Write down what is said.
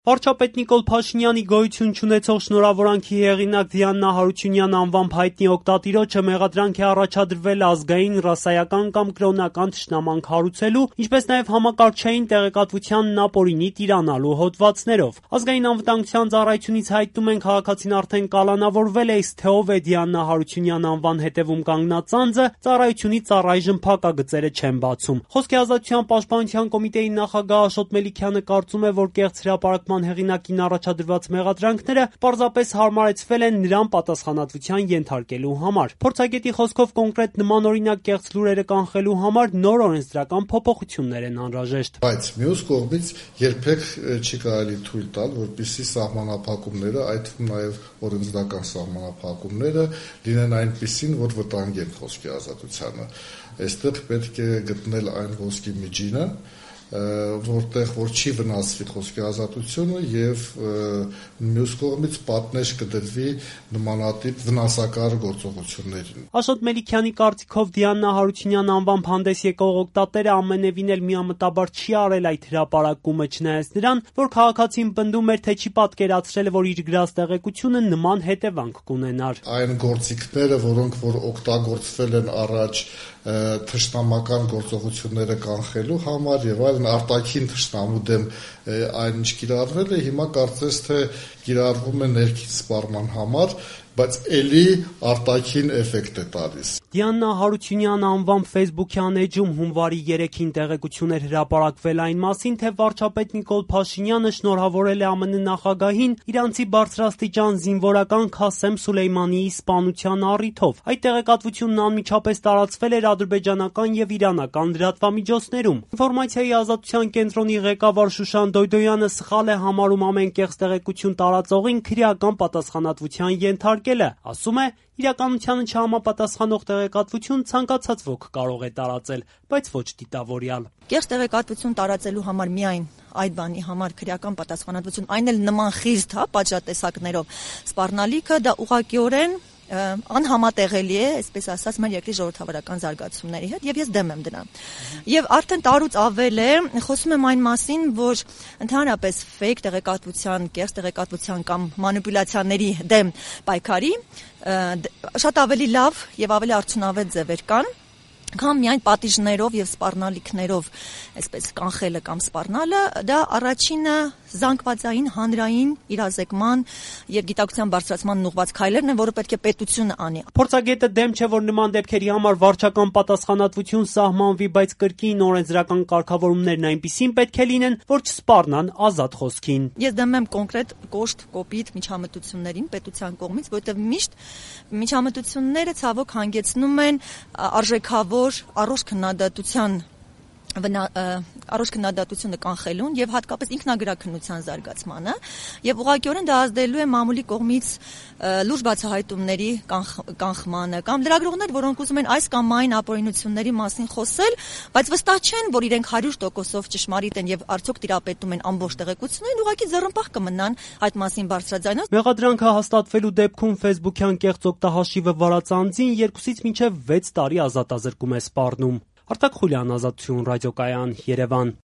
Վարչապետ Նիկոլ Փաշինյանի գոյություն չունեցող շնորհավորանքի հեղինակ Դիանա Հարությունյան անվամբ հայտնի օգտատիրոջը մեղադրանք է առաջադրվել ազգային, ռասայական կամ կրոնական թշնամանք հարուցելու, ինչպես նաև համակարգչային տեղեկատվությանն ապօրինի տիրանալու հոդվածներով։ Ազգային անվտանգության ծառայությունից հայտնում են, քաղաքացին արդեն կալանավորվել է, իսկ թե ով է Դիանա Հարությունյան անվան հետևում կանգնած անձը, ծառայությունից առայժմ փակագծերը չեն բացում։ Խոսքի ազատության պաշտպանության կոմիտեի նախագահ Աշոտ Մելիքյանը կարծում է, որ կեղծ հրապարակման հեղինակին առաջադրված մեղադրանքները պարզապես հարմարեցվել են նրան պատասխանատվության ենթարկելու համար։ Փորձագետի խոսքով կոնկրետ նմանօրինակ կեղծ լուրերը կանխելու համար նոր օրենսդրական փոփոխություններ են անհրաժեշտ։ Բայց մյուս կողմից երբեք չի կարելի թույլ տալ, որպեսզի սահմանափակումները, այդ թվում նաև օրենսդրական սահմանափակումները լինեն այնպիսին, որ վտանգեն խոսքի ազատությանը։ Այստեղ պետք է գտնել այն խոսքի միջինը, որտեղ որ չի վնասվի խոսքի ազատությունը եւ մյուս կողմից պատնեշ կդրվի նմանատիպ վնասակար գործողություններին։ Աշոտ Մելիքյանի կարծիքով Դիանա Հարությունյան անվամբ հանդես եկող օգտատերը ամենևին էլ միամտաբար չի արել այդ հրապարակումը, չնայած նրան, որ քաղաքացին պնդում էր, թե չի պատկերացրել, որ իր գրած տեղեկությունը նման հետևանք կունենար։ Այն գործիքները, որոնք որ օգտագործվել են առաջ թշնամական գործողությունները կանխելու համար եւ այլն արտաքին թշնամու դեմ այն ինչ կիրառվել է, հիմա կարծես թե կիրառվում է ներքին սպառման համար, բայց էլի արտաքին էֆեկտ է տալիս։ Դիանա Հարությունյան անվամբ Facebook-յան էջում հունվարի 3-ին տեղեկություն էր հրապարակվել այն մասին, թե վարչապետ Նիկոլ Փաշինյանը շնորհավորել է ԱՄՆ նախագահին իրանցի բարձրաստիճան զինվորական Քասեմ Սուլեյմանիի սպանության առիթով։ Այդ տեղեկատվությունն անմիջապես տարածվել էր ադրբեջանական եւ իրանական լրատվամիջոցներում։ Ինֆորմացիայի ազատության կենտրոնի ղեկավար Շուշան Դոյդոյանը սխալ է համարում ամեն կեղծ տեղեկություն տարածողին քրեական պատասխանատվության ենթարկելը, ասում է, իրականությանը չհամապատասխանող տեղեկատվություն ցանկացած ոք կարող է տարածել, բայց ոչ դիտավորյալ։ Կեղծ տեղեկատվություն տարածելու համար միայն այդ բանի համար քրեական պատասխանատվություն, այն էլ նման խիստ, պատժատեսակներով սպառնալիքը դա ուղղակիորեն անհամատեղելի է, այսպես ասած, մեր երկրի ժողովրդավարական զարգացումների հետ, եւ ես դեմ եմ դրան։ Եվ արդեն տարուց ավել է, խոսում եմ այն մասին, որ ընդհանրապես ֆեյք տեղեկատվության, կեղծ տեղեկատվության կամ մանիպուլյացիաների դեմ պայքարի շատ ավելի լավ եւ ավելի արդյունավետ ձևեր կան, կամ միայն պատիժներով եւ սպառնալիքներով, այսպես կանխելը կամ սպառնալը, դա առաջինը զանգվածային հանրային իրազեկման եւ գիտակցության բարձրացման ուղղված քայլերն են, որը պետք է պետությունը անի։ Փորձագետը դեմ չէ, որ նման դեպքերի համար վարչական պատասխանատվություն սահմանվի, բայց կրկին օրենսդրական կարգավորումներն այնպիսին պետք է լինեն, որ չսպառնան ազատ խոսքին։ Ես դեմ եմ կոնկրետ կոշտ, կոպիտ միջամտություններին պետության կողմից, որովհետեւ միշտ միջամտությունները ցավոք հանգեցնում են արժեքավոր առողջ քննադատությունը կանխելուն եւ հատկապես ինքնագրաքննության զարգացմանը եւ ուղղակիորեն դա ազդելու է մամուլի կողմից լուրջ բացահայտումների կանխմանը կամ լրագրողներ, որոնք ուզում են այս կամ այն ապօրինությունների մասին խոսել, բայց վստահ չեն, որ իրենք 100%-ով ճշմարիտ են եւ արդյոք տիրապետում են ամբողջ տեղեկություններին, ուղղակի ձեռնպահ կմնան այդ մասին բարձրաձայնած։ Մեղադրանքը հաստատվելու դեպքում Facebook-յան կեղծ օգտահաշիվը վարած անձին 2-ից մինչև 6 տարի ազատազրկում է սպառնում։ Արտակ Խուլյան, Ազատություն ռադիոկայան, Երևան։